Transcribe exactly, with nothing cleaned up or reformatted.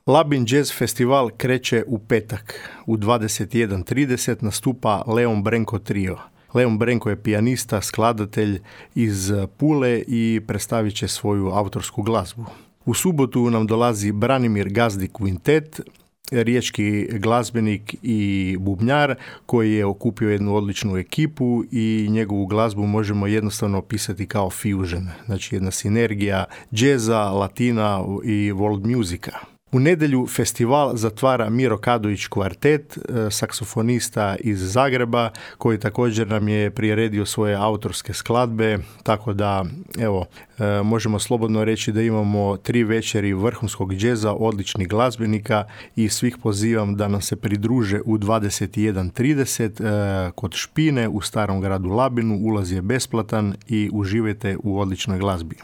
Labin Jazz Festival kreće u petak. U dvadeset jedan trideset nastupa Leon Brenko Trio. Leon Brenko je pijanista, skladatelj iz Pule i predstavit će svoju autorsku glazbu. U subotu nam dolazi Branimir Gazdi Quintet, riječki glazbenik i bubnjar koji je okupio jednu odličnu ekipu i njegovu glazbu možemo jednostavno opisati kao fusion, znači jedna sinergija džeza, latina i world musika. U nedjelju festival zatvara Miro Kadović kvartet, saksofonista iz Zagreba, koji također nam je priredio svoje autorske skladbe, tako da evo, možemo slobodno reći da imamo tri večeri vrhunskog džeza, odličnih glazbenika i svih pozivam da nam se pridruže u dvadeset jedan trideset kod Špine u Starom gradu Labinu. Ulaz je besplatan i uživajte u odličnoj glazbi.